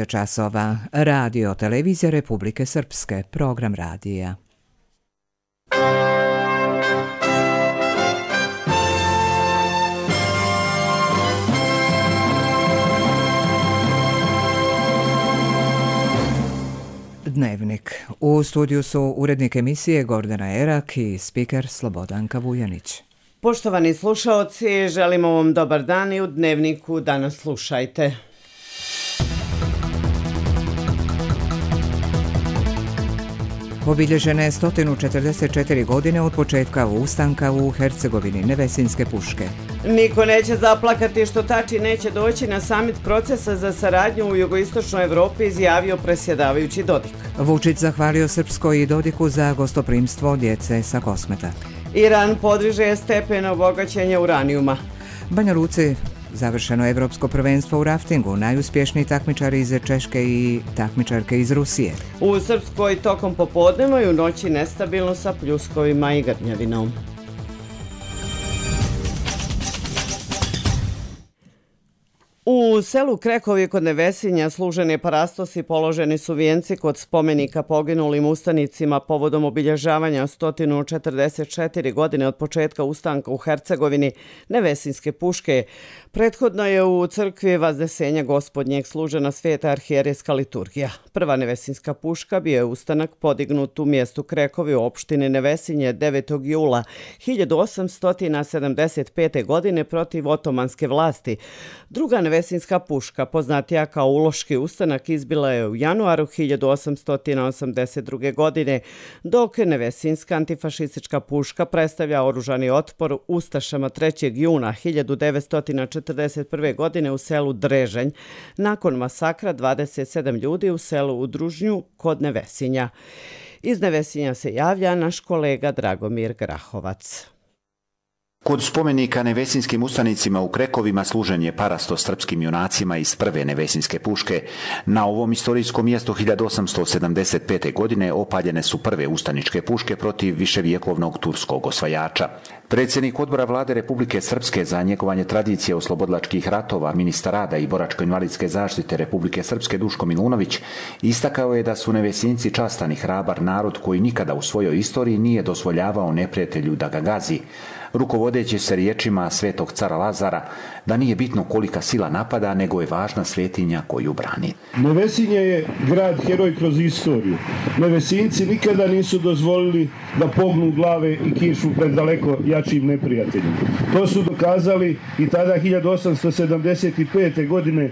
časova. Radio Televizija Republike Srpske, program radija. Dnevnik. U studiju su urednik emisije Gordana Erak i spiker Slobodanka Vujanić. Poštovani slušaoci, želimo vam dobar dan i u Dnevniku danas slušajte. Obilježene 144 godine od početka ustanka u Hercegovini Nevesinske puške. Niko neće zaplakati što Tači neće doći na samit procesa za saradnju u jugoistočnoj Evropi, izjavio predsjedavajući Dodik. Vučić zahvalio Srpskoj i Dodiku za gostoprimstvo djece sa Kosmeta. Iran podiže stepen obogaćenja uranijuma. Banja Luci završeno evropsko prvenstvo u raftingu, najuspješniji takmičari iz Češke i takmičarke iz Rusije. U Srpskoj tokom popodneva i u noći nestabilno sa pljuskovima i grmljavinom. U selu Krekovi kod Nevesinja služen je parastos i položeni su vijenci kod spomenika poginulim ustanicima povodom obilježavanja 144 godine od početka ustanka u Hercegovini Nevesinske puške. Prethodno je u crkvi Vaznesenja Gospodnjeg služena sveta arhijerejska liturgija. Prva Nevesinska puška bio je ustanak podignut u mjestu Krekovi u opštini Nevesinje 9. jula 1875. godine protiv otomanske vlasti. Druga Nevesinska puška, poznatija kao Uloški ustanak, izbila je u januaru 1882. godine, dok Nevesinska antifašistička puška predstavlja oružani otpor ustašama 3. juna 1941. godine u selu Drežanj, nakon masakra 27 ljudi u selu Udružnju kod Nevesinja. Iz Nevesinja se javlja naš kolega Dragomir Grahovac. Kod spomenika nevesinskim ustanicima u Krekovima služen je parastos srpskim junacima iz prve nevesinske puške. Na ovom istorijskom mjestu 1875. godine opaljene su prve ustaničke puške protiv viševjekovnog turskog osvajača. Predsjednik odbora vlade Republike Srpske za njegovanje tradicije oslobodilačkih ratova, ministar rada i boračko-invalidske zaštite Republike Srpske Duško Milunović istakao je da su Nevesinci častan i hrabar narod koji nikada u svojoj istoriji nije dozvoljavao neprijatelju da ga gazi, rukovodeći se riječima svetog cara Lazara da nije bitno kolika sila napada, nego je važna svetinja koju brani. Nevesinje je grad heroj kroz istoriju. Nevesinci nikada nisu dozvolili da pognu glave i kišu pred daleko jačim neprijateljima. To su dokazali i tada 1875. godine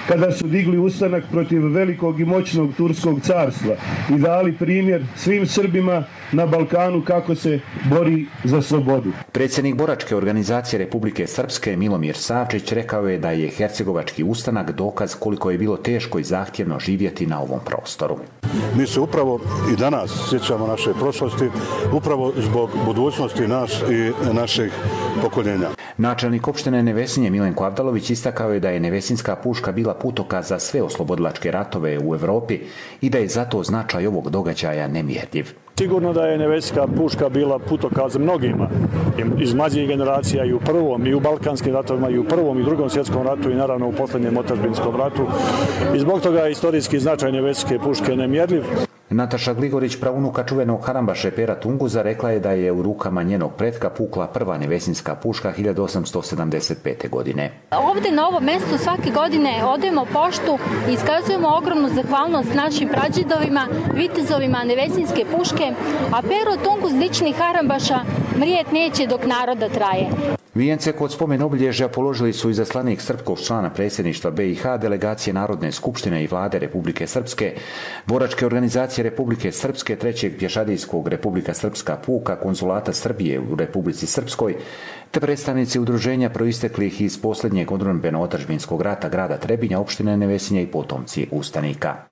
kada su digli ustanak protiv velikog i moćnog turskog carstva i dali primjer svim Srbima na Balkanu kako se bori za slobodu. Predsjednik boračke organizacije Republike Srpske Milomir Savčić rekao je da je hercegovački ustanak dokaz koliko je bilo teško i zahtjevno živjeti na ovom prostoru. Mi se upravo i danas sjećamo naše prošlosti, upravo zbog budućnosti nas i naših pokoljenja. Načelnik opštine Nevesinje Milenko Avdalović istakao je da je Nevesinska puška bila putokaz za sve oslobodilačke ratove u Evropi i da je zato značaj ovog događaja nemjerljiv. Sigurno da je Nevesinska puška bila putokaz mnogima iz mlađih generacija i u prvom i u balkanskim ratovima i u prvom i drugom svjetskom ratu i naravno u posljednjem otadžbinskom ratu. I zbog toga je istorijski značaj Nevesinske puške nemjerljiv. Nataša Gligorić, praunuka čuvenog harambaše Pera Tunguza, rekla je da je u rukama njenog pretka pukla prva Nevesinska puška 1875. godine. Ovdje na ovom mjestu svake godine odajemo poštu i iskazujemo ogromnu zahvalnost našim prađidovima, vitezovima Nevesinske puške, a Pero Tunguz lični harambaša mrijet neće dok naroda traje. Vijence kod spomen obilježja položili su izaslanik srpskog člana predsjedništva BiH, delegacije Narodne skupštine i vlade Republike Srpske, boračke organizacije Republike Srpske, trećeg pješadijskog Republika Srpska puka, konzulata Srbije u Republici Srpskoj, te predstavnici udruženja proisteklih iz posljednjeg odbrambeno-otadžbinskog rata grada Trebinja, opštine Nevesinje i potomci ustanika.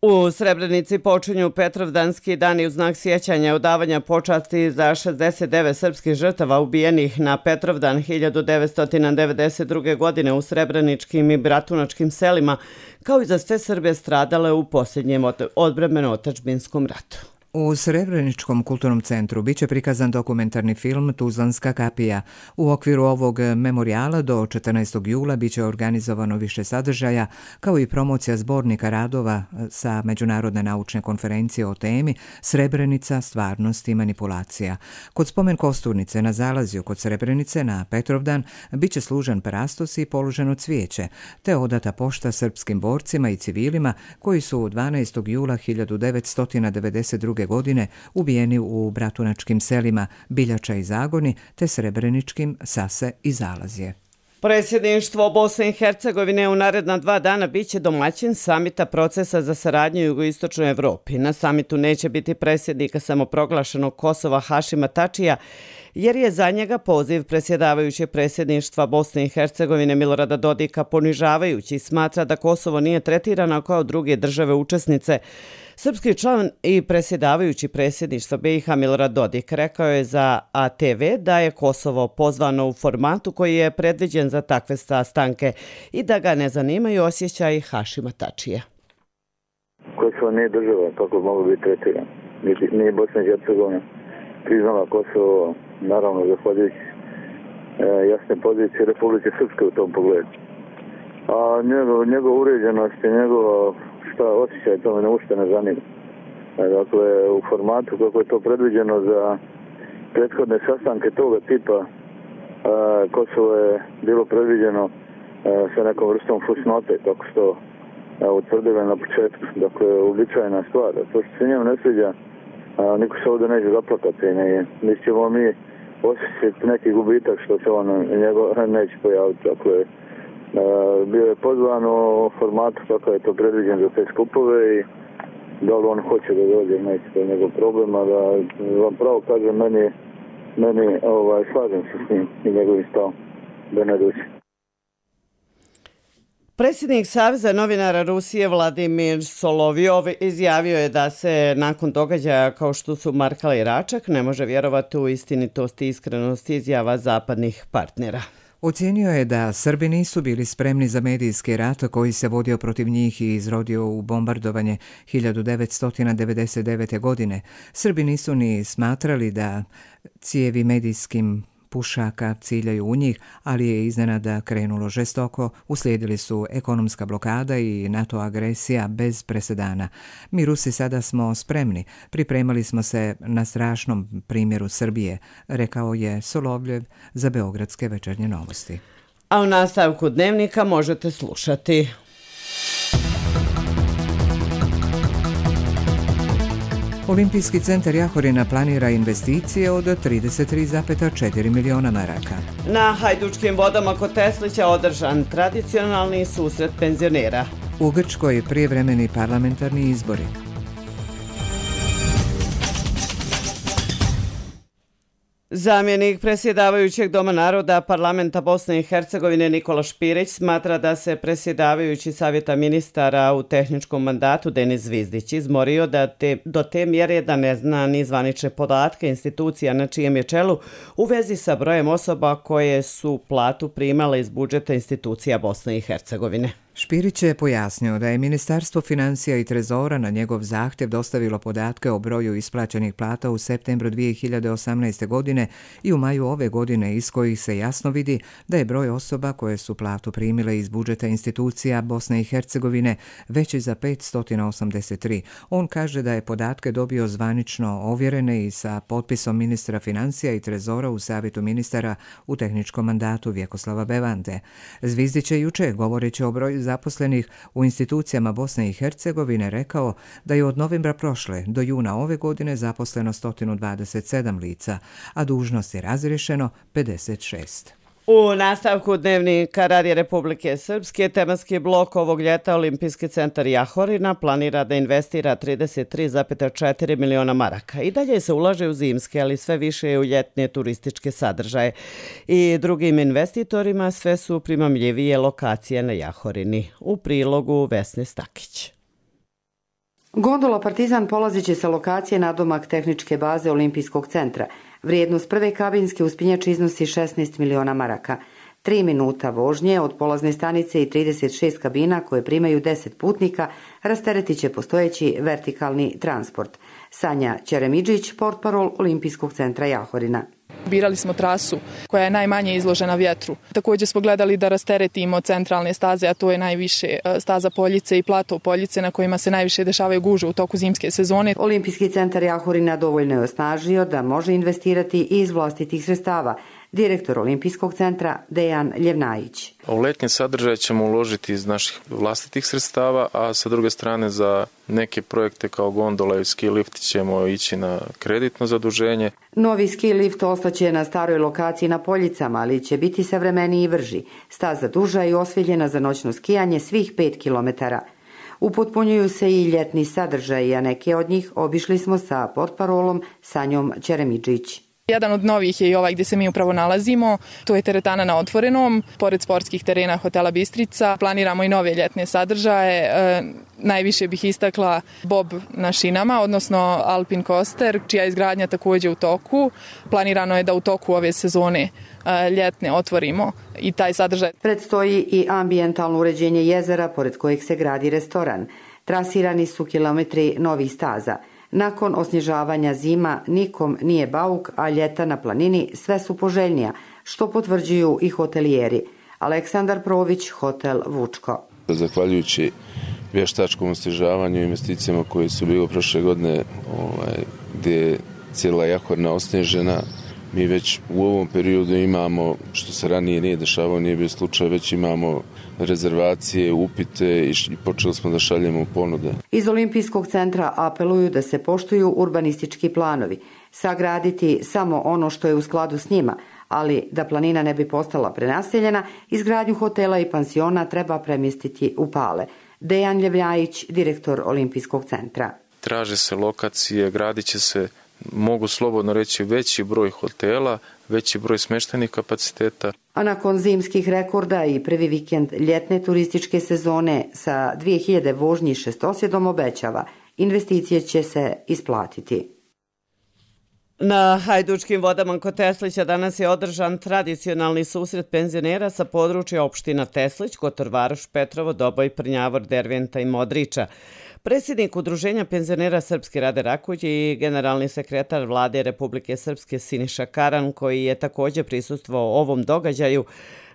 U Srebrenici počinju Petrovdanski dani u znak sjećanja i odavanja počasti za 69 srpskih žrtava ubijenih na Petrovdan 1992. godine u srebreničkim i bratunačkim selima, kao i za sve Srbe stradale u posljednjem odbrambeno-otadžbinskom ratu. U Srebreničkom kulturnom centru biće prikazan dokumentarni film Tuzlanska kapija. U okviru ovog memorijala do 14. jula biće organizovano više sadržaja, kao i promocija zbornika radova sa Međunarodne naučne konferencije o temi Srebrenica, stvarnost i manipulacija. Kod spomen kosturnice na zalazju kod Srebrenice na Petrovdan biće služen parastos i položeno cvijeće, te odata pošta srpskim borcima i civilima koji su 12. jula 1992. godine ubijeni u bratunačkim selima Biljača i Zagoni te Srebreničkim Sase i Zalazje. Predsjedništvo Bosne i Hercegovine u naredna 2 dana biće domaćin samita procesa za saradnju u jugoistočnoj Evropi. Na samitu neće biti predsjednika samoproglašenog Kosova Hašima Tačija, jer je za njega poziv predsjedavajućeg predsjedništva Bosne i Hercegovine Milorada Dodika ponižavajući i smatra da Kosovo nije tretirano kao druge države učesnice. Srpski član i predsjedavajući predsjedništva BiH Milorad Dodik rekao je za ATV da je Kosovo pozvano u formatu koji je predviđen za takve sastanke i da ga ne zanimaju osjećaji Hašima Tačija. Kosovo nije država, kako mogu biti tretirano. Nije Bosna i Hercegovina priznala Kosovo, naravno zahvaljujući jasne pozicije Republike Srpske u tom pogledu. A njegov uređenost i njegova osjećaj to me ne uopšte ne zanima. Dakle, u formatu kako je to predviđeno za prethodne sastanke toga tipa, Kosovo je bilo predviđeno sa nekom vrstom fusnote, kako što utvrdili na početku. Dakle, uobičajena stvar. To što se njemu ne sviđa, niko se ovdje neće zaplakati. Mi ćemo osjećati neki gubitak što se on neće pojaviti. Dakle, bio je pozvan u formatu kako je to predviđen za te skupove i da li on hoće da dođe, neće, to je njegov problem, a da vam pravo kažem, meni slažem se s njim i njegovim stavom da ne dođe. Predsjednik Saveza novinara Rusije Vladimir Solovjov izjavio je da se nakon događaja kao što su Markala i Račak ne može vjerovati u istinitost i iskrenost izjava zapadnih partnera. Ocijenio je da Srbi nisu bili spremni za medijski rat koji se vodio protiv njih i izrodio u bombardovanje 1999. godine. Srbi nisu ni smatrali da cijevi medijskim pušaka ciljaju u njih, ali je iznenada krenulo žestoko, uslijedili su ekonomska blokada i NATO agresija bez presedana. Mi Rusi sada smo spremni, pripremali smo se na strašnom primjeru Srbije, rekao je Solovljev za Beogradske večernje novosti. A u nastavku dnevnika možete slušati. Olimpijski centar Jahorina planira investicije od 33,4 miliona maraka. Na Hajdučkim vodama kod Teslića održan tradicionalni susret penzionera. U Grčkoj prijevremeni parlamentarni izbori. Zamjenik predsjedavajućeg Doma naroda parlamenta Bosne i Hercegovine Nikola Špirić smatra da se predsjedavajući savjeta ministara u tehničkom mandatu Denis Zvizdić izmorio do te mjere da ne zna ni zvanične podatke institucija na čijem je čelu u vezi sa brojem osoba koje su platu primale iz budžeta institucija Bosne i Hercegovine. Špirić je pojasnio da je Ministarstvo financija i trezora na njegov zahtjev dostavilo podatke o broju isplaćenih plata u septembru 2018. godine i u maju ove godine, iz kojih se jasno vidi da je broj osoba koje su platu primile iz budžeta institucija Bosne i Hercegovine veći za 583. On kaže da je podatke dobio zvanično ovjerene i sa potpisom ministra financija i trezora u savjetu ministara u tehničkom mandatu Vjekoslava Bevande. Zvizdić je juče, govoreći o broju zaposlenih u institucijama Bosne i Hercegovine, rekao da je od novembra prošle do juna ove godine zaposleno 127 lica, a dužnost je razriješeno 56. U nastavku dnevnika Radija Republike Srpske tematski blok ovog ljeta Olimpijski centar Jahorina planira da investira 33,4 miliona maraka. I dalje se ulaže u zimske, ali sve više u ljetne turističke sadržaje. I drugim investitorima sve su primamljivije lokacije na Jahorini. U prilogu Vesne Stakić. Gondola Partizan polazit će sa lokacije nadomak tehničke baze Olimpijskog centra. Vrijednost prve kabinske uspinjače iznosi 16 miliona maraka. 3 minuta vožnje od polazne stanice i 36 kabina koje primaju 10 putnika rasteretit će postojeći vertikalni transport. Sanja Ćeremidžić, portparol Olimpijskog centra Jahorina. Birali smo trasu koja je najmanje izložena vjetru. Također smo gledali da rasteretimo centralne staze, a to je najviše staza Poljice i plato Poljice na kojima se najviše dešavaju gužve u toku zimske sezone. Olimpijski centar Jahorina dovoljno je osnažio da može investirati i iz vlastitih sredstava. Direktor Olimpijskog centra Dejan Ljevnajić. U letnje sadržaje ćemo uložiti iz naših vlastitih sredstava, a sa druge strane za neke projekte kao gondola i ski lift ćemo ići na kreditno zaduženje. Novi ski lift ostaće na staroj lokaciji na Poljicama, ali će biti savremeniji i brži. Staza duža i osvjetljena za noćno skijanje svih 5 kilometara. Upotpunjuju se i ljetni sadržaji, a neke od njih obišli smo sa portparolom Sanjom Ćeremidžić. Jedan od novih je i ovaj gdje se mi upravo nalazimo. To je teretana na otvorenom, pored sportskih terena hotela Bistrica. Planiramo i nove ljetne sadržaje. Najviše bih istakla bob na šinama, odnosno Alpin Coaster, čija je izgradnja također u toku. Planirano je da u toku ove sezone ljetne otvorimo i taj sadržaj. Predstoji i ambijentalno uređenje jezera, pored kojeg se gradi restoran. Trasirani su kilometri novih staza. Nakon osnježavanja zima nikom nije bauk, a ljeta na planini sve su poželjnija, što potvrđuju i hotelijeri. Aleksandar Prović, hotel Vučko. Zahvaljujući vještačkom osnježavanju i investicijama koje su bile prošle godine, gdje je cijela Jahorina osnježena, mi već u ovom periodu imamo, što se ranije nije dešavalo, nije bio slučaj, već imamo rezervacije, upite i počeli smo da šaljemo ponude. Iz Olimpijskog centra apeluju da se poštuju urbanistički planovi, sagraditi samo ono što je u skladu s njima, ali da planina ne bi postala prenaseljena, izgradnju hotela i pansiona treba premjestiti u Pale. Dejan Ljevnajić, direktor Olimpijskog centra. Traže se lokacije, gradit će se, mogu slobodno reći, veći broj hotela, veći broj smještajnih kapaciteta. A nakon zimskih rekorda i prvi vikend ljetne turističke sezone sa 2000 vožnji šestosjedom obećava, investicije će se isplatiti. Na Hajdučkim vodama kod Teslića danas je održan tradicionalni susret penzionera sa područja opština Teslić, Kotor Varoš, Petrovo, Doboj, Prnjavor, Derventa i Modriča. Predsjednik Udruženja penzionera Srpske Rade Rakulj i generalni sekretar Vlade Republike Srpske Siniša Karan, koji je također prisustvovao ovom događaju,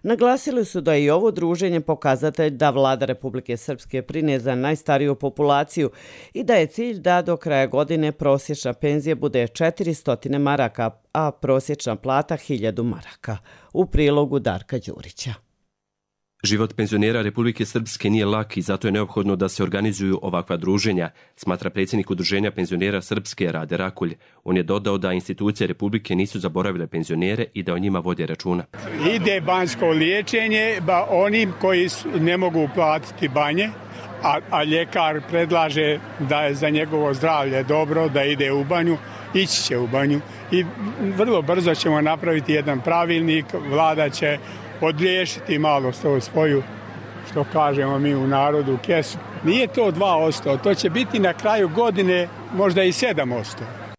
naglasili su da je i ovo druženje pokazatelj da Vlada Republike Srpske brine za najstariju populaciju i da je cilj da do kraja godine prosječna penzija bude 400 maraka, a prosječna plata 1000 maraka. U prilogu Darka Đurića. Život penzionera Republike Srpske nije lak i zato je neophodno da se organizuju ovakva druženja, smatra predsjednik Udruženja penzionera Srpske Rade Rakulj. On je dodao da institucije Republike nisu zaboravile penzionere i da o njima vode računa. Ide banjsko liječenje onim koji ne mogu platiti banje, a ljekar predlaže da je za njegovo zdravlje dobro da ide u banju, ići će u banju i vrlo brzo ćemo napraviti jedan pravilnik, vlada će odriješiti malo svoju, što kažemo mi u narodu, kesu. Nije to 2%, to će biti na kraju godine možda i 7%.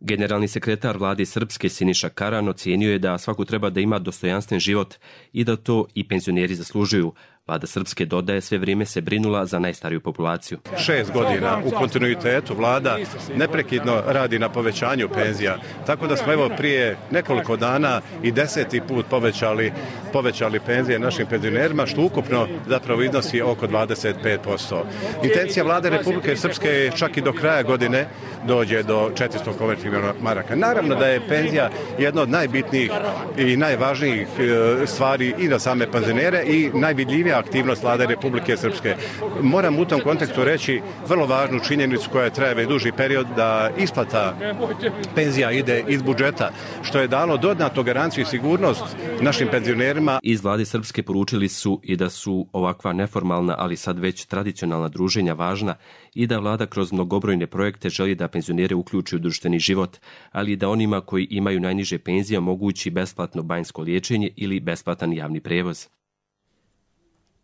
Generalni sekretar Vlade Srpske Siniša Karan ocijenio je da svaku treba da ima dostojanstven život i da to i penzioneri zaslužuju. Vlada Srpske, dodaje, sve vrijeme se brinula za najstariju populaciju. 6 godina u kontinuitetu vlada neprekidno radi na povećanju penzija, tako da smo evo prije nekoliko dana i 10. put povećali penzije našim penzionerima, što ukupno zapravo iznosi oko 25%. Intencija Vlade Republike Srpske je čak i do kraja godine dođe do 400 konvertibilnih maraka. Naravno da je penzija jedna od najbitnijih i najvažnijih stvari i za same penzionere i najvidljivija aktivnost Vlade Republike Srpske. Moram u tom kontekstu reći vrlo važnu činjenicu koja traje već duži period, da isplata penzija ide iz budžeta, što je dalo dodatnu garanciju i sigurnost našim penzionerima. Iz Vlade Srpske poručili su i da su ovakva neformalna, ali sad već tradicionalna druženja važna i da vlada kroz mnogobrojne projekte želi da penzionere uključi u društveni život, ali i da onima koji imaju najniže penzije omogući besplatno banjsko liječenje ili besplatan javni prevoz.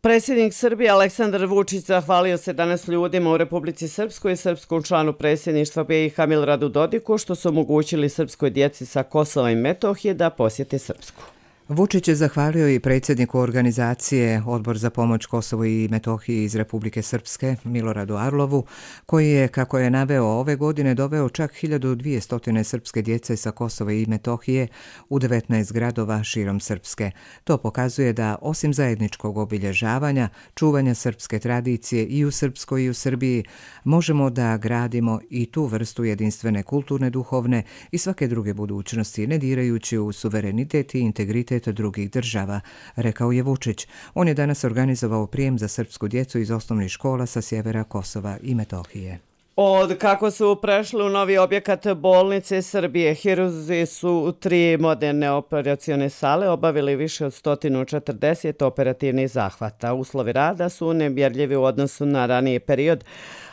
Predsjednik Srbije Aleksandar Vučić zahvalio se danas ljudima u Republici Srpskoj i srpskom članu predsjedništva BiH Miloradu Dodiku što su omogućili srpskoj djeci sa Kosova i Metohije da posjete Srpsku. Vučić je zahvalio i predsjedniku organizacije Odbor za pomoć Kosovu i Metohiji iz Republike Srpske, Miloradu Arlovu, koji je, kako je naveo, ove godine doveo čak 1200 srpske djece sa Kosova i Metohije u 19 gradova širom Srpske. To pokazuje da, osim zajedničkog obilježavanja, čuvanja srpske tradicije i u Srpskoj i u Srbiji, možemo da gradimo i tu vrstu jedinstvene kulturne, duhovne i svake druge budućnosti, ne dirajući u suverenitet i integritet drugih država, rekao je Vučić. On je danas organizovao prijem za srpsku djecu iz osnovnih škola sa sjevera Kosova i Metohije. Od kako su prešli u novi objekat bolnice Srbije, hirurzi su u 3 moderne operacione sale obavili više od 140 operativnih zahvata. Uslovi rada su nemjerljivi u odnosu na raniji period,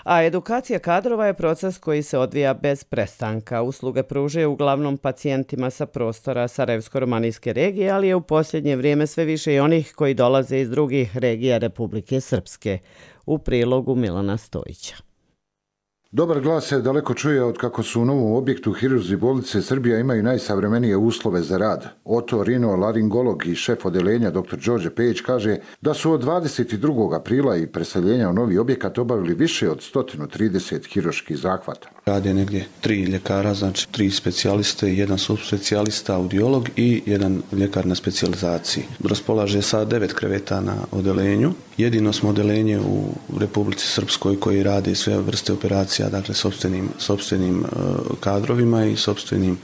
a edukacija kadrova je proces koji se odvija bez prestanka. Usluge pružaju uglavnom pacijentima sa prostora Sarajevsko-romanijske regije, ali je u posljednje vrijeme sve više i onih koji dolaze iz drugih regija Republike Srpske. U prilogu Milana Stojića. Dobar glas se daleko čuje od kako su u novom objektu hirurzi bolnice Srbija imaju najsavremenije uslove za rad. Otorinolaringolog i šef odeljenja dr. Đorđe Pejić kaže da su od 22. aprila i preseljenja u novi objekat obavili više od 130 hirurških zahvata. Rade negdje 3 ljekara, znači 3 specijaliste, 1 subspecijalista, audiolog i 1 ljekar na specijalizaciji. Raspolaže sa 9 kreveta na odelenju. Jedino smo odelenje u Republici Srpskoj koji rade sve vrste operacija, dakle sopstvenim kadrovima i sopstvenim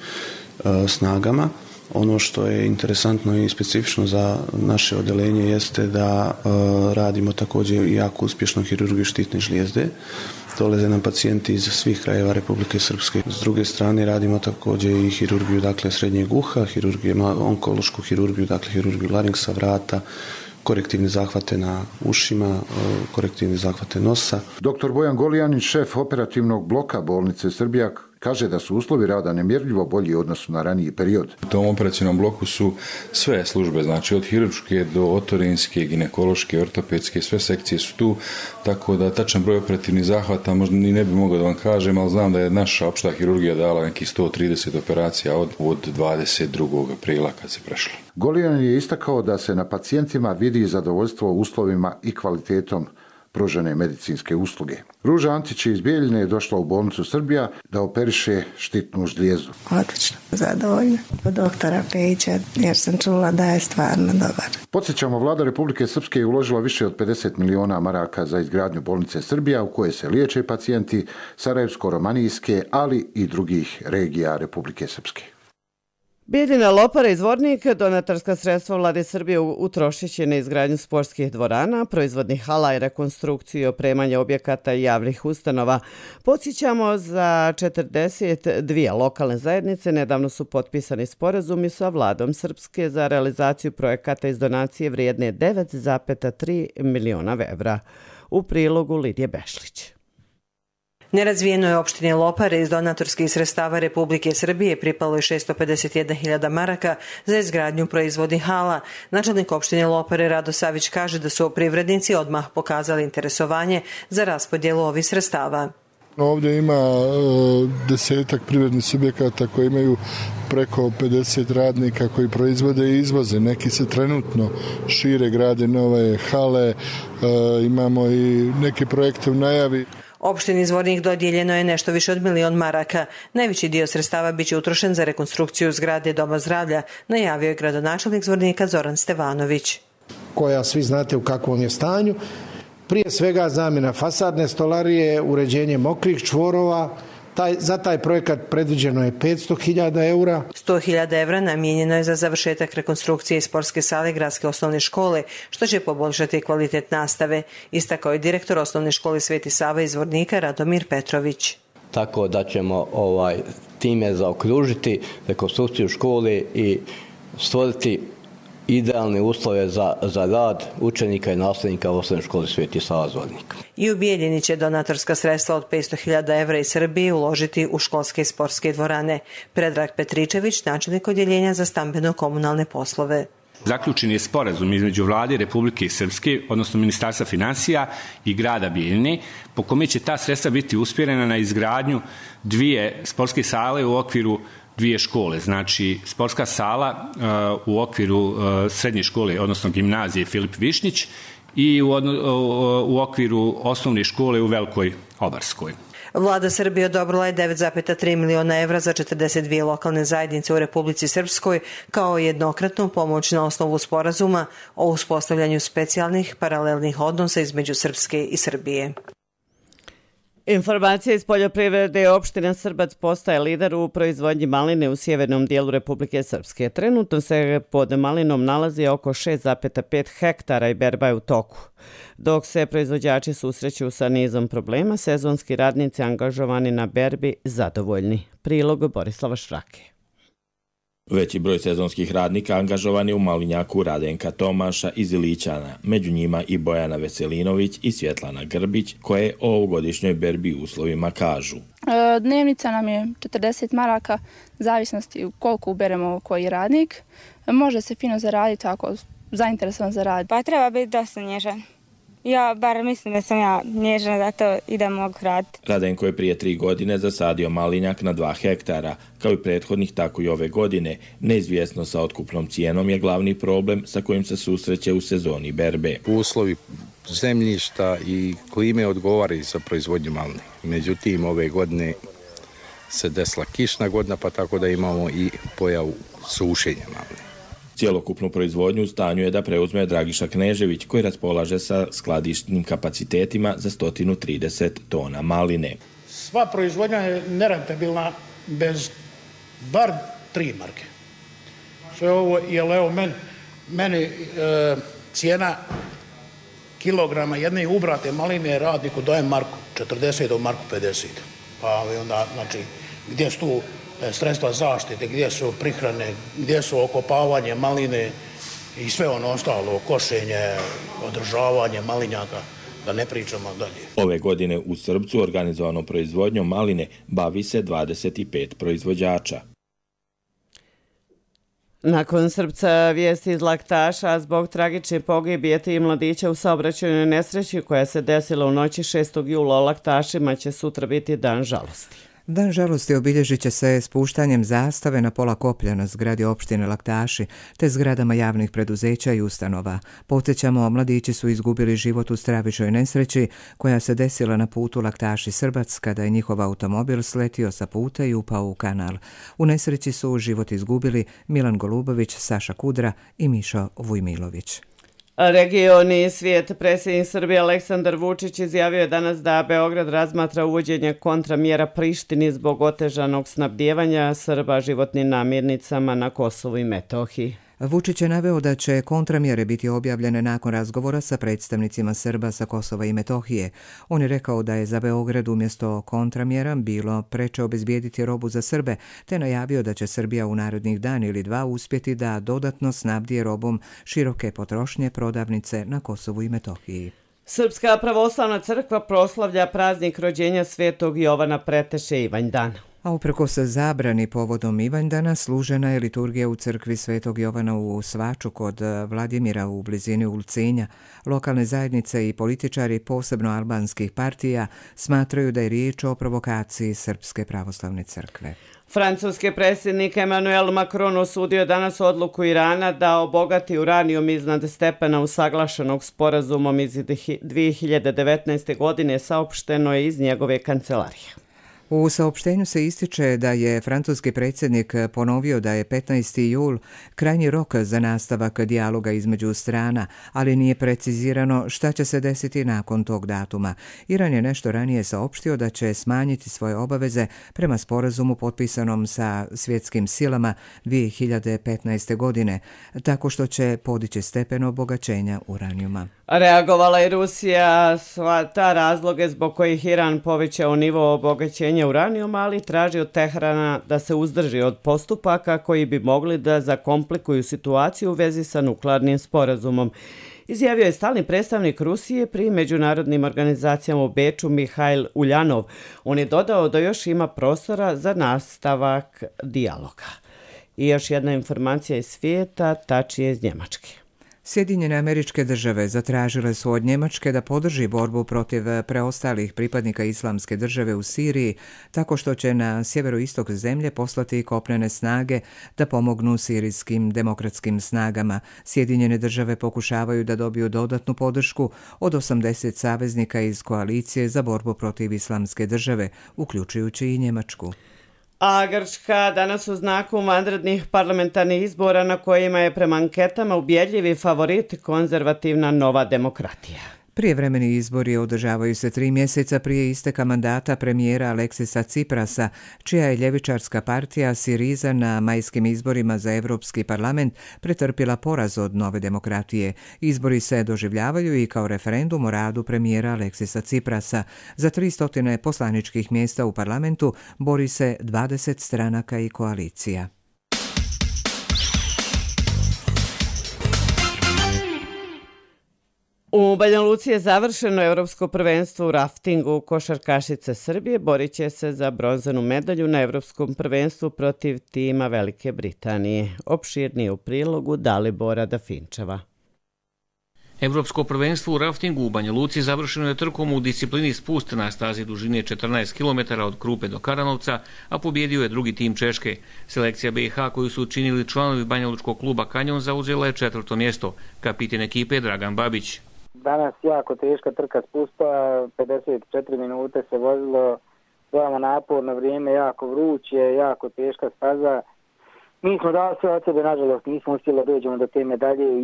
snagama. Ono što je interesantno i specifično za naše odelenje jeste da radimo također i jako uspješno hirurgiju štitne žlijezde. Dolaze nam pacijenti iz svih krajeva Republike Srpske. S druge strane radimo također i hirurgiju, dakle srednjeg uha, onkološku hirurgiju, dakle hirurgiju laringsa, vrata, korektivne zahvate na ušima, korektivne zahvate nosa. Dr. Bojan Golijanin, šef operativnog bloka bolnice Srbija, kaže da su uslovi rada nemjerljivo bolji u odnosu na raniji period. U tom operacijnom bloku su sve službe, znači od hirurške do otorinske, ginekološke, ortopedske, sve sekcije su tu, tako da tačan broj operativnih zahvata možda ni ne bi mogao da vam kažem, ali znam da je naša opšta hirurgija dala nekih 130 operacija od 22. aprila kad se prešlo. Golijanin je istakao da se na pacijentima vidi zadovoljstvo uslovima i kvalitetom pružene medicinske usluge. Ruža Antić iz Bijeljine je došla u bolnicu Srbija da operiše štitnu žlijezdu. Odlično, zadovoljna od doktora Pejića jer sam čula da je stvarno dobar. Podsjećamo, vlada Republike Srpske je uložila više od 50 miliona maraka za izgradnju bolnice Srbija u kojoj se liječe pacijenti Sarajevsko-romanijske, ali i drugih regija Republike Srpske. Bijeljina, Lopara i Zvornik donatorska sredstva vlade Srbije utrošit će na izgradnju sportskih dvorana, proizvodnih hala i rekonstrukciju i opremanje objekata i javnih ustanova. Podsjećamo, za 42 lokalne zajednice nedavno su potpisani sporazumi sa vladom Srpske za realizaciju projekata iz donacije vrijedne 9,3 miliona evra. U prilogu Lidije Bešlić. Nerazvijenoj opštini Lopare iz donatorskih sredstava Republike Srbije pripalo je 651.000 maraka za izgradnju proizvodnih hala. Načelnik opštine Lopare Rado Savić kaže da su privrednici odmah pokazali interesovanje za raspodjelu ovih sredstava. Ovdje ima 10 privrednih subjekata koji imaju preko 50 radnika koji proizvode i izvoze. Neki se trenutno šire, grade nove hale, imamo i neke projekte u najavi. Opštini Zvornik dodijeljeno je nešto više od 1 milion maraka. Najveći dio sredstava biće utrošen za rekonstrukciju zgrade Doma zdravlja, najavio je gradonačelnik Zvornika Zoran Stevanović. Koja svi znate u kakvom je stanju. Prije svega zamjena fasadne stolarije, uređenje mokrih čvorova. Za taj projekat predviđeno je 500.000 eura. 100.000 evra namijenjeno je za završetak rekonstrukcije sportske sale Gradske osnovne škole, što će poboljšati kvalitet nastave, istakao je direktor osnovne škole Sveti Sava iz Zvornika Radomir Petrović. Tako da ćemo time zaokružiti rekonstrukciju škole i stvoriti idealne uslove za rad učenika i nastavnika u osnovnoj školi Sveti Sava Zvornik. I u Bijeljini će donatorska sredstva od 500.000 evra iz Srbije uložiti u školske i sportske dvorane. Predrag Petričević, načelnik odjeljenja za stambeno-komunalne poslove. Zaključen je sporazum između vlade Republike Srpske, odnosno Ministarstva finansija i grada Bijeljine, po kome će ta sredstva biti usmjerena na izgradnju 2 sportske sale u okviru dvije škole. Znači, sportska sala u okviru srednje škole, odnosno gimnazije Filip Višnjić i u okviru osnovne škole u Velikoj Obarskoj. Vlada Srbije odobrila je 9,3 miliona evra za 42 lokalne zajednice u Republici Srpskoj kao jednokratnu pomoć na osnovu sporazuma o uspostavljanju specijalnih paralelnih odnosa između Srpske i Srbije. Informacija iz poljoprivrede, opština Srbac postaje lider u proizvodnji maline u sjevernom dijelu Republike Srpske. Trenutno se pod malinom nalazi oko 6,5 hektara i berba je u toku. Dok se proizvođači susreću sa nizom problema, sezonski radnici angažovani na berbi zadovoljni. Prilog Borislava Šrake. Veći broj sezonskih radnika angažovan je u malinjaku Radenka Tomaša iz Ilićana, među njima i Bojana Veselinović i Svjetlana Grbić, koje o ovogodišnjoj berbi uslovima kažu. Dnevnica nam je 40 maraka, zavisnosti koliko uberemo koji radnik. Može se fino zaraditi ako zainteresovan za rad. Pa treba biti dosta nježan. Ja bar mislim da sam ja nježna da to idem mogu raditi. Radenko je prije 3 godine zasadio malinjak na 2 hektara. Kao i prethodnih, tako i ove godine. Neizvjesno sa otkupnom cijenom je glavni problem sa kojim se susreće u sezoni berbe. Uslovi zemljišta i klime odgovaraju za proizvodnju maline. Međutim, ove godine se desila kišna godina, pa tako da imamo i pojavu sušenja maline. Cijelokupnu proizvodnju u stanju je da preuzme Dragiša Knežević, koji raspolaže sa skladišnim kapacitetima za 130 tona maline. Sva proizvodnja je nerentabilna bez bar 3 marke. Sve ovo je meni cijena kilograma jedne ubrate maline radniku daje marku 40 do marku 50. Pa onda, znači, gdje su tu sredstva zaštite, gdje su prihrane, gdje su okopavanje maline i sve ono ostalo, košenje, održavanje malinjaka, da ne pričamo dalje. Ove godine u Srbcu organizovanom proizvodnjom maline bavi se 25 proizvođača. Nakon Srbca vijesti iz Laktaša, zbog tragične pogibije 3 mladića u saobraćajnoj nesreći koja se desila u noći 6. jula o Laktašima će sutra biti dan žalosti. Dan žalosti obilježit će se spuštanjem zastave na pola koplja na zgradi opštine Laktaši te zgradama javnih preduzeća i ustanova. Podsjećamo, mladići su izgubili život u stravičnoj nesreći koja se desila na putu Laktaši-Srbac kada je njihov automobil sletio sa puta i upao u kanal. U nesreći su život izgubili Milan Golubović, Saša Kudra i Mišo Vujmilović. Regioni svijet, predsjednik Srbije Aleksandar Vučić izjavio je danas da Beograd razmatra uvođenje kontramjera Prištini zbog otežanog snabdijevanja Srba životnim namirnicama na Kosovu i Metohiji. Vučić je naveo da će kontramjere biti objavljene nakon razgovora sa predstavnicima Srba sa Kosova i Metohije. On je rekao da je za Beograd umjesto kontramjera bilo preče obezbijediti robu za Srbe, te najavio da će Srbija u narednih dan ili 2 uspjeti da dodatno snabdije robom široke potrošnje prodavnice na Kosovu i Metohiji. Srpska pravoslavna crkva proslavlja praznik rođenja Svetog Jovana Preteše Ivanjdan. A uprkos zabrani povodom Ivanjdana služena je liturgija u crkvi Svetog Jovana u Svaču kod Vladimira u blizini Ulcinja. Lokalne zajednice i političari, posebno albanskih partija, smatraju da je riječ o provokaciji Srpske pravoslavne crkve. Francuski predsjednik Emmanuel Macron osudio danas odluku Irana da obogati uranijum iznad stepena usaglašenog sporazumom iz 2019. godine, saopšteno je iz njegove kancelarije. U saopštenju se ističe da je francuski predsjednik ponovio da je 15. jul krajnji rok za nastavak dijaloga između strana, ali nije precizirano šta će se desiti nakon tog datuma. Iran je nešto ranije saopštio da će smanjiti svoje obaveze prema sporazumu potpisanom sa svjetskim silama 2015. godine, tako što će podići stepen obogaćenja uranijuma. Reagovala je Rusija ta razloge zbog kojih Iran povećao nivo obogaćenja uranijuma, ali traži od Teherana da se uzdrži od postupaka koji bi mogli da zakomplikuju situaciju u vezi sa nuklearnim sporazumom. Izjavio je stalni predstavnik Rusije pri međunarodnim organizacijama u Beču Mihajl Uljanov. On je dodao da još ima prostora za nastavak dijaloga. I još jedna informacija iz svijeta, tačnije iz Njemačke. Sjedinjene Američke Države zatražile su od Njemačke da podrži borbu protiv preostalih pripadnika Islamske države u Siriji, tako što će na sjeveroistok zemlje poslati kopnene snage da pomognu sirijskim demokratskim snagama. Sjedinjene Države pokušavaju da dobiju dodatnu podršku od 80 saveznika iz koalicije za borbu protiv Islamske države, uključujući i Njemačku. A Grčka danas u znaku vanrednih parlamentarnih izbora na kojima je prema anketama ubjedljivi favorit konzervativna Nova demokratija. Prijevremeni izbori održavaju se 3 mjeseca prije isteka mandata premijera Aleksisa Ciprasa, čija je ljevičarska partija Siriza na majskim izborima za Europski parlament pretrpila poraz od Nove demokratije. Izbori se doživljavaju i kao referendum o radu premijera Aleksisa Ciprasa. Za 300 poslaničkih mjesta u parlamentu bori se 20 stranaka i koalicija. U Banja Luci je završeno Evropsko prvenstvo u raftingu. Košarkašice Srbije borit će se za bronzanu medalju na Evropskom prvenstvu protiv tima Velike Britanije. Opširnije u prilogu Dalibora Dafinčeva. Evropsko prvenstvo u raftingu u Banja Luci završeno je trkom u disciplini spust na stazi dužine 14 km od Krupe do Karanovca, a pobjedio je drugi tim Češke. Selekcija BiH koju su učinili članovi banjalučkog kluba Kanjon zauzela je 4. mjesto. Kapitan ekipe Dragan Babić. Danas jako teška trka spusta, 54 minute se vozilo, veoma naporno vrijeme, jako vruće, jako teška staza. Mi smo dali sve od sebe, nažalost nismo uspjeli da dođemo do te medalje.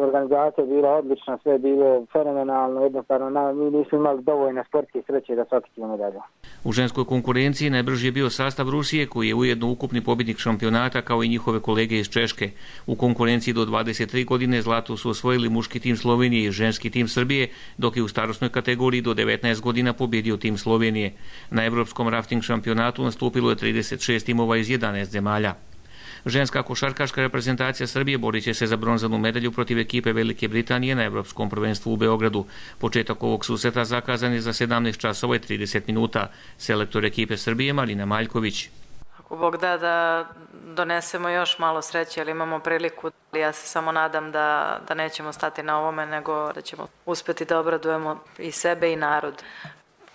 Organizacija je bila odlična, sve je bilo fenomenalno, jednostavno mi nismo imali dovoljno sportske sreće da sakitimo medalju. U ženskoj konkurenciji najbrži je bio sastav Rusije, koji je ujedno ukupni pobjednik šampionata kao i njihove kolege iz Češke. U konkurenciji do 23 godine zlato su osvojili muški tim Slovenije i ženski tim Srbije, dok je u starosnoj kategoriji do 19 godina pobjedio tim Slovenije. Na Evropskom rafting šampionatu nastupilo je 36 timova iz 11 zemalja. Ženska košarkaška reprezentacija Srbije borit će se za bronzanu medalju protiv ekipe Velike Britanije na Evropskom prvenstvu u Beogradu. Početak ovog susreta zakazan je za 17 časova i 30 minuta. Selektor ekipe Srbije Marina Maljković. Ako Bog da donesemo još malo sreće, ali imamo priliku. Ja se samo nadam da nećemo stati na ovome, nego da ćemo uspjeti da obradujemo i sebe i narod.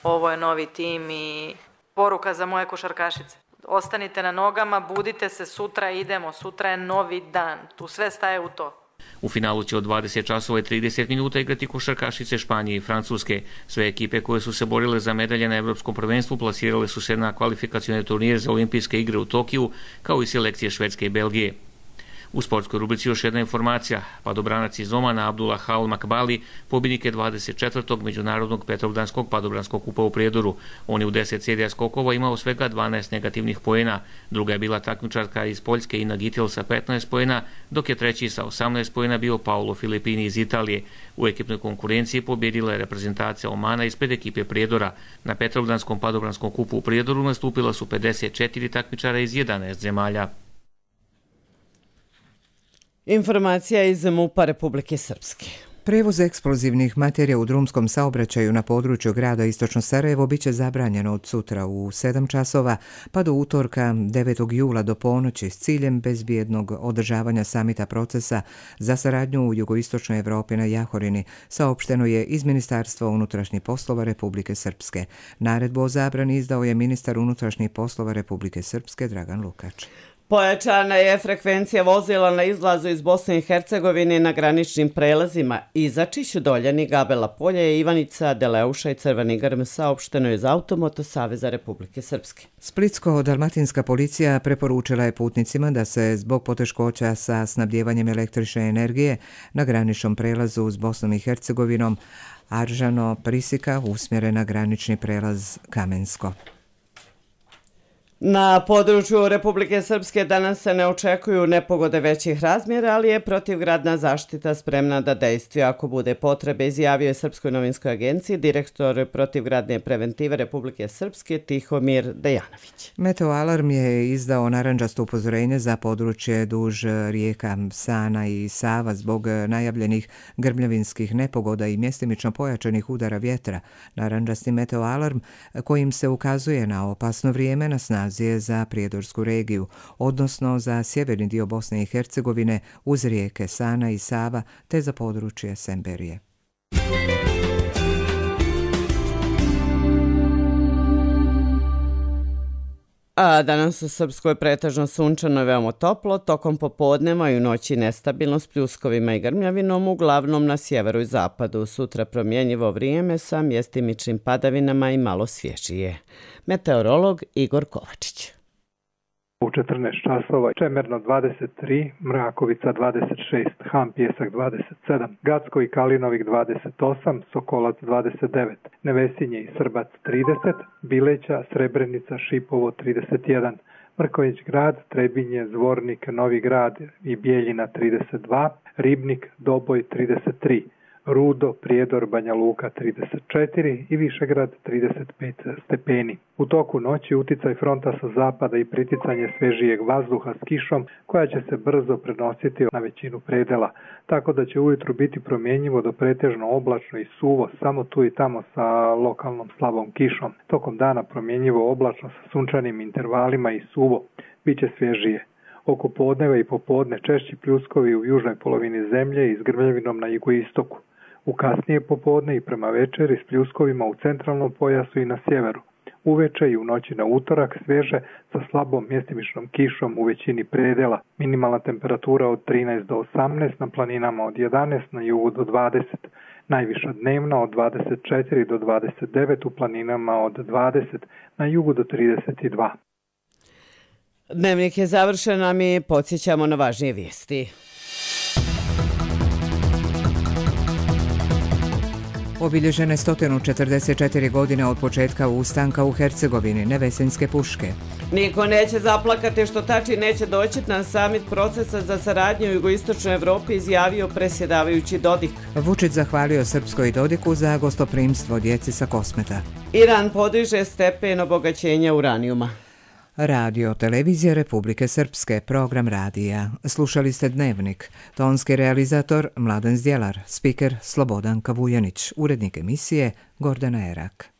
Ovo je novi tim i poruka za moje košarkašice. Ostanite na nogama, budite se, sutra idemo, sutra je novi dan, tu sve staje u to. U finalu će od 20 časova i 30 minuta igrati košarkašice Španije i Francuske. Sve ekipe koje su se borile za medalje na Evropskom prvenstvu plasirale su se na kvalifikacione turnire za olimpijske igre u Tokiju, kao i selekcije Švedske i Belgije. U sportskoj rubrici još jedna informacija. Padobranac iz Omana Abdullah Hal Makbali pobjednik je 24. međunarodnog Petrovdanskog padobranskog kupa u Prijedoru. On je u 10 serija skokova imao svega 12 negativnih poena. Druga je bila takmičarka iz Poljske Ina Gitil sa 15 poena, dok je treći sa 18 poena bio Paolo Filipini iz Italije. U ekipnoj konkurenciji pobjedila je reprezentacija Omana ispred ekipe Prijedora. Na Petrovdanskom padobranskom kupu u Prijedoru nastupila su 54 takmičara iz 11 zemalja. Informacija iz MUP-a Republike Srpske. Prevoz eksplozivnih materija u drumskom saobraćaju na području grada Istočno Sarajevo biće zabranjeno od sutra u 7 časova pa do utorka 9. jula do ponoći s ciljem bezbjednog održavanja samita procesa za saradnju u jugoistočnoj Evropi na Jahorini, saopšteno je iz Ministarstva unutrašnjih poslova Republike Srpske. Naredbu o zabrani izdao je ministar unutrašnjih poslova Republike Srpske Dragan Lukač. Pojačana je frekvencija vozila na izlazu iz Bosne i Hercegovine na graničnim prelazima Izačić, Doljani, Gabela Polje, Ivanica, Deleuša i Crveni Grm, saopšteno je iz Automoto Saveza Republike Srpske. Splitsko-dalmatinska policija preporučila je putnicima da se zbog poteškoća sa snabdjevanjem električne energije na graničnom prelazu s Bosnom i Hercegovinom Aržano-Prisika usmjere na granični prelaz Kamensko. Na području Republike Srpske danas se ne očekuju nepogode većih razmjera, ali je protivgradna zaštita spremna da dejstvuje ako bude potrebe, izjavio je Srpskoj novinskoj agenciji direktor protivgradne preventive Republike Srpske Tihomir Dejanović. Meteoalarm je izdao narandžasto upozorenje za područje duž rijeka Sana i Sava zbog najavljenih grmljavinskih nepogoda i mjestimično pojačanih udara vjetra. Narandžasti meteoalarm kojim se ukazuje na opasno vrijeme na snazi eksplozije za prijedorsku regiju, odnosno za sjeverni dio Bosne i Hercegovine uz rijeke Sana i Sava te za područje Semberije. A danas u Srpskoj pretežno sunčano i veoma toplo, tokom popodneva i u noći nestabilno s pljuskovima i grmljavinom, uglavnom na sjeveru i zapadu. Sutra promjenjivo vrijeme sa mjestimičnim padavinama i malo svježije. Meteorolog Igor Kovačić. U 14 časova Čemerno 23, Mrakovica 26, Han Pjesak 27, Gacko i Kalinovik 28, Sokolac 29, Nevesinje i Srbac 30, Bileća, Srebrenica, Šipovo 31, Mrković grad, Trebinje, Zvornik, Novi grad i Bijeljina 32, Ribnik, Doboj 33, Rudo, Prijedor, Banja Luka 34 i Višegrad 35 stepeni. U toku noći uticaj fronta sa zapada i priticanje svežijeg vazduha s kišom koja će se brzo prenositi na većinu predela, tako da će ujutru biti promjenjivo do pretežno oblačno i suvo, samo tu i tamo sa lokalnom slabom kišom. Tokom dana promjenjivo oblačno sa sunčanim intervalima i suvo, bit će svježije. Oko podneva i popodne češći pljuskovi u južnoj polovini zemlje i s grmljavinom na jugoistoku. U kasnije popodne i prema večeri s pljuskovima u centralnom pojasu i na sjeveru. Uveče i u noći na utorak svježe sa slabom mjestimičnom kišom u većini predela. Minimalna temperatura od 13 do 18, na planinama od 11, na jugu do 20. Najviša dnevna od 24 do 29, u planinama od 20, na jugu do 32. Dnevnik je završen, a mi podsjećamo na važnije vijesti. Obilježene 144 godine od početka ustanka u Hercegovini, Nevesinjske puške. Niko neće zaplakati što Tači neće doći na samit procesa za saradnju u jugoistočnoj Evropi, izjavio predsjedavajući Dodik. Vučić zahvalio Srpskoj i Dodiku za gostoprimstvo djeci sa Kosmeta. Iran podiže stepen obogaćenja uranijuma. Radio Televizija Republike Srpske, program radija. Slušali ste Dnevnik. Tonski realizator Mladen Zdjelar, spiker Slobodan Kavujanić, urednik emisije Gordana Erak.